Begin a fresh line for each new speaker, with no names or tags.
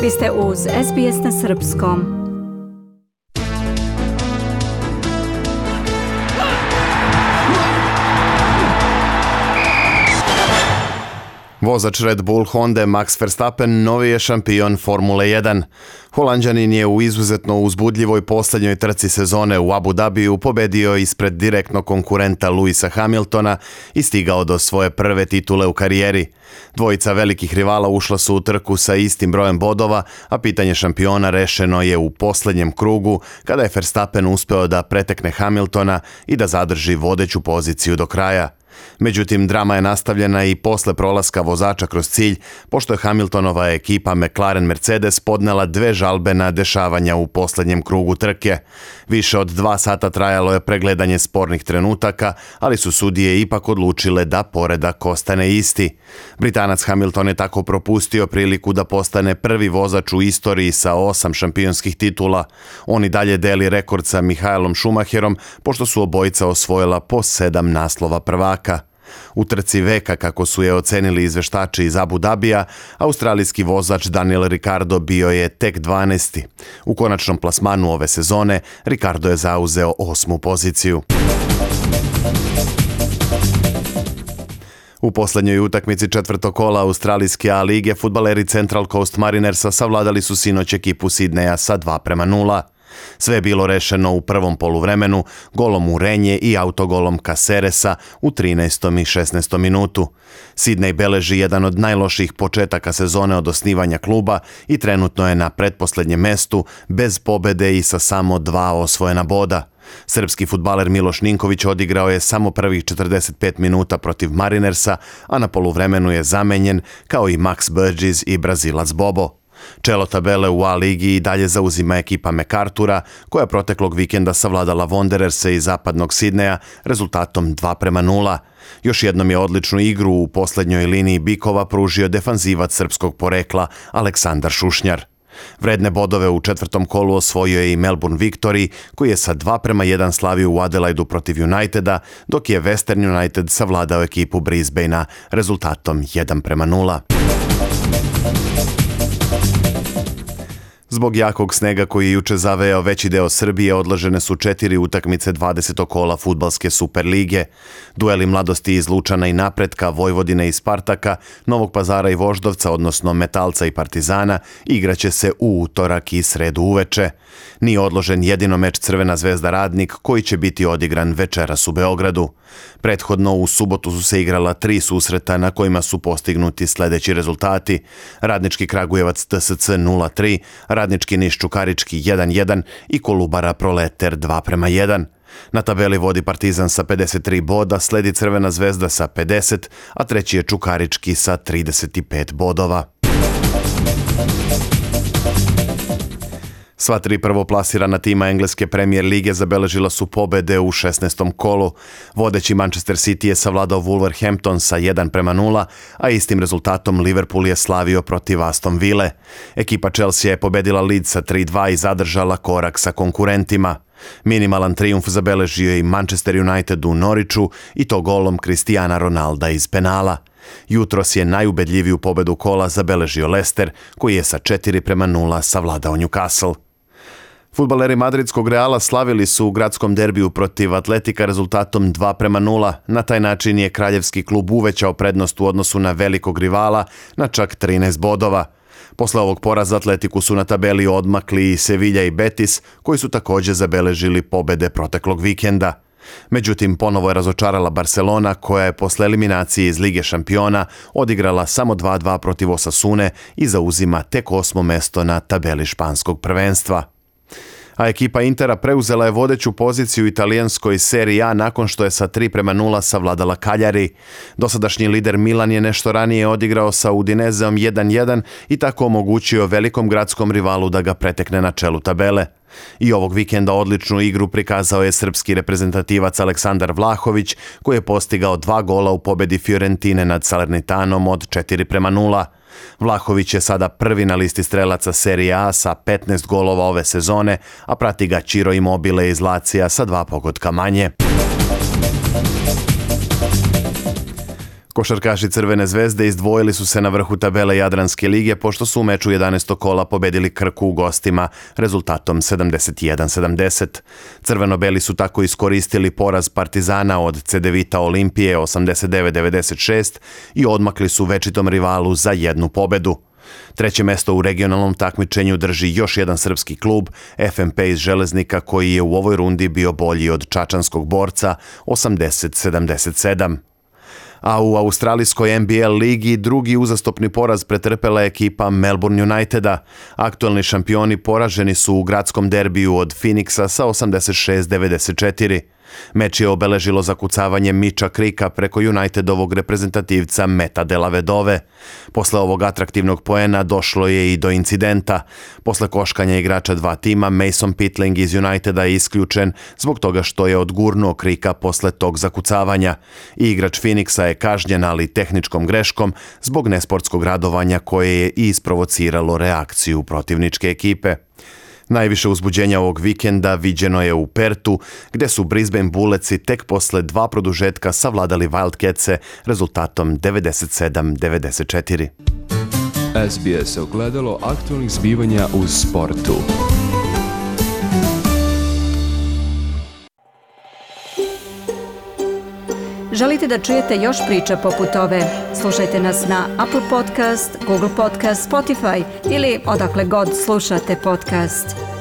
Vi ste uz SBS na srpskom.
Vozač Red Bull Honda Max Verstappen novi je šampion Formule 1. Holanđanin je u izuzetno uzbudljivoj posljednjoj trci sezone u Abu Dhabiju pobedio ispred direktnog konkurenta Lewisa Hamiltona i stigao do svoje prve titule u karijeri. Dvojica velikih rivala ušla su u trku sa istim brojem bodova, a pitanje šampiona rešeno je u posljednjem krugu kada je Verstappen uspeo da pretekne Hamiltona i da zadrži vodeću poziciju do kraja. Međutim, drama je nastavljena i posle prolaska vozača kroz cilj, pošto je Hamiltonova ekipa McLaren Mercedes podnela 2 žalbe na dešavanja u posljednjem krugu trke. Više od 2 sata trajalo je pregledanje spornih trenutaka, ali su sudije ipak odlučile da poredak ostane isti. Britanac Hamilton je tako propustio priliku da postane prvi vozač u istoriji sa 8 šampionskih titula. On i dalje deli rekord sa Michaelom Schumacherom, pošto su obojica osvojila po 7 naslova prvaka. U trci veka, kako su je ocenili izveštači iz Abu Dhabija, australijski vozač Daniel Ricciardo bio je tek 12. U konačnom plasmanu ove sezone, Ricciardo je zauzeo 8. poziciju. U posljednjoj utakmici četvrtog kola australijske A lige fudbaleri Central Coast Marinersa savladali su sinoć ekipu Sidneja sa 2:0. Sve je bilo rešeno u prvom poluvremenu, golom Urenje i autogolom Caceresa u 13. i 16. minutu. Sidney beleži jedan od najlošijih početaka sezone od osnivanja kluba i trenutno je na pretposlednjem mestu, bez pobede i sa samo 2 osvojena boda. Srpski fudbaler Miloš Ninković odigrao je samo prvih 45 minuta protiv Marinersa, a na poluvremenu je zamenjen, kao i Max Burgess i Brazilac Bobo. Čelo tabele u A ligi i dalje zauzima ekipa MacArthura, koja proteklog vikenda savladala Wandererse iz zapadnog Sidneja rezultatom 2:0. Još jednom je odličnu igru u posljednjoj liniji bikova pružio defanzivac srpskog porekla Aleksandar Šušnjar. Vredne bodove u četvrtom kolu osvojio je i Melbourne Victory, koji je sa 2:1 slavio u Adelaidu protiv Uniteda, dok je Western United savladao ekipu Brisbanea rezultatom 1:0. Zbog jakog snega koji je juče zavejao veći deo Srbije, odložene su 4 utakmice 20. kola fudbalske Super lige. Dueli Mladosti iz Lučana i Napretka, Vojvodine i Spartaka, Novog Pazara i Voždovca, odnosno Metalca i Partizana, igraće se u utorak i sredu uveče. Nije odložen jedino meč Crvena zvezda Radnik, koji će biti odigran večeras u Beogradu. Prethodno u subotu su se igrala 3 susreta na kojima su postignuti sledeći rezultati: Radnički Kragujevac TSC 0:3, Radnički Niš Čukarički 1:1 i Kolubara Proleter 2:1. Na tabeli vodi Partizan sa 53 boda, sledi Crvena zvezda sa 50, a treći je Čukarički sa 35 bodova. Sva 3 prvoplasirana tima engleske Premier lige zabeležila su pobede u 16. kolu. Vodeći Manchester City je savladao Wolverhampton sa 1:0, a istim rezultatom Liverpool je slavio protiv Aston Ville. Ekipa Chelsea je pobedila Leeds sa 3:2 i zadržala korak sa konkurentima. Minimalan trijumf zabeležio je i Manchester United u Norwichu, i to golom Cristiana Ronalda iz penala. Jutros je najubedljiviju pobedu kola zabeležio Leicester, koji je sa 4:0 savladao Newcastle. Fudbaleri madridskog Reala slavili su u gradskom derbiju protiv Atletika rezultatom 2:0. Na taj način je kraljevski klub uvećao prednost u odnosu na velikog rivala na čak 13 bodova. Posle ovog poraza Atletiku su na tabeli odmakli i Sevilla i Betis, koji su također zabeležili pobede proteklog vikenda. Međutim, ponovo je razočarala Barcelona, koja je posle eliminacije iz Lige šampiona odigrala samo 2:2 protiv Osasune i zauzima tek 8. mesto na tabeli španskog prvenstva. A ekipa Intera preuzela je vodeću poziciju u italijanskoj Serie A nakon što je sa 3:0 savladala Cagliari. Dosadašnji lider Milan je nešto ranije odigrao sa Udinezeom 1:1 i tako omogućio velikom gradskom rivalu da ga pretekne na čelu tabele. I ovog vikenda odličnu igru prikazao je srpski reprezentativac Aleksandar Vlahović, koji je postigao 2 gola u pobedi Fiorentine nad Salernitanom od 4:0. Vlahović je sada prvi na listi strelaca Serie A sa 15 golova ove sezone, a prati ga Ciro Immobile iz Lazija sa 2 pogotka manje. Košarkaši Crvene zvezde izdvojili su se na vrhu tabele Jadranske lige pošto su u meču 11. kola pobedili Krku u gostima rezultatom 71-70. Crveno-beli su tako iskoristili poraz Partizana od Cedevita Olimpije 89-96 i odmakli su večitom rivalu za jednu pobedu. Treće mesto u regionalnom takmičenju drži još jedan srpski klub, FNP iz Železnika, koji je u ovoj rundi bio bolji od čačanskog Borca 80-77. A u australijskoj NBL ligi drugi uzastopni poraz pretrpela je ekipa Melbourne Uniteda. Aktuelni šampioni poraženi su u gradskom derbiju od Phoenixa sa 86-94. Meč je obeležilo zakucavanje Mitcha Cricka preko Unitedovog reprezentativca Meta Delavedove. Posle ovog atraktivnog poena došlo je i do incidenta. Posle koškanja igrača dva tima, Mason Pitling iz Uniteda je isključen zbog toga što je odgurnuo Cricka posle tog zakucavanja. Igrač Phoenixa je kažnjen, ali tehničkom greškom zbog nesportskog radovanja koje je i isprovociralo reakciju protivničke ekipe. Najviše uzbuđenja ovog vikenda viđeno je u Pertu, gde su Brisbane Bulletsi tek posle dva produžetka savladali Wildcatse rezultatom 97-94.
SBS ogledalo aktualnih zbivanja u sportu.
Želite da čujete još priča poput ove? Slušajte nas na Apple Podcast, Google Podcast, Spotify ili odakle god slušate podcast.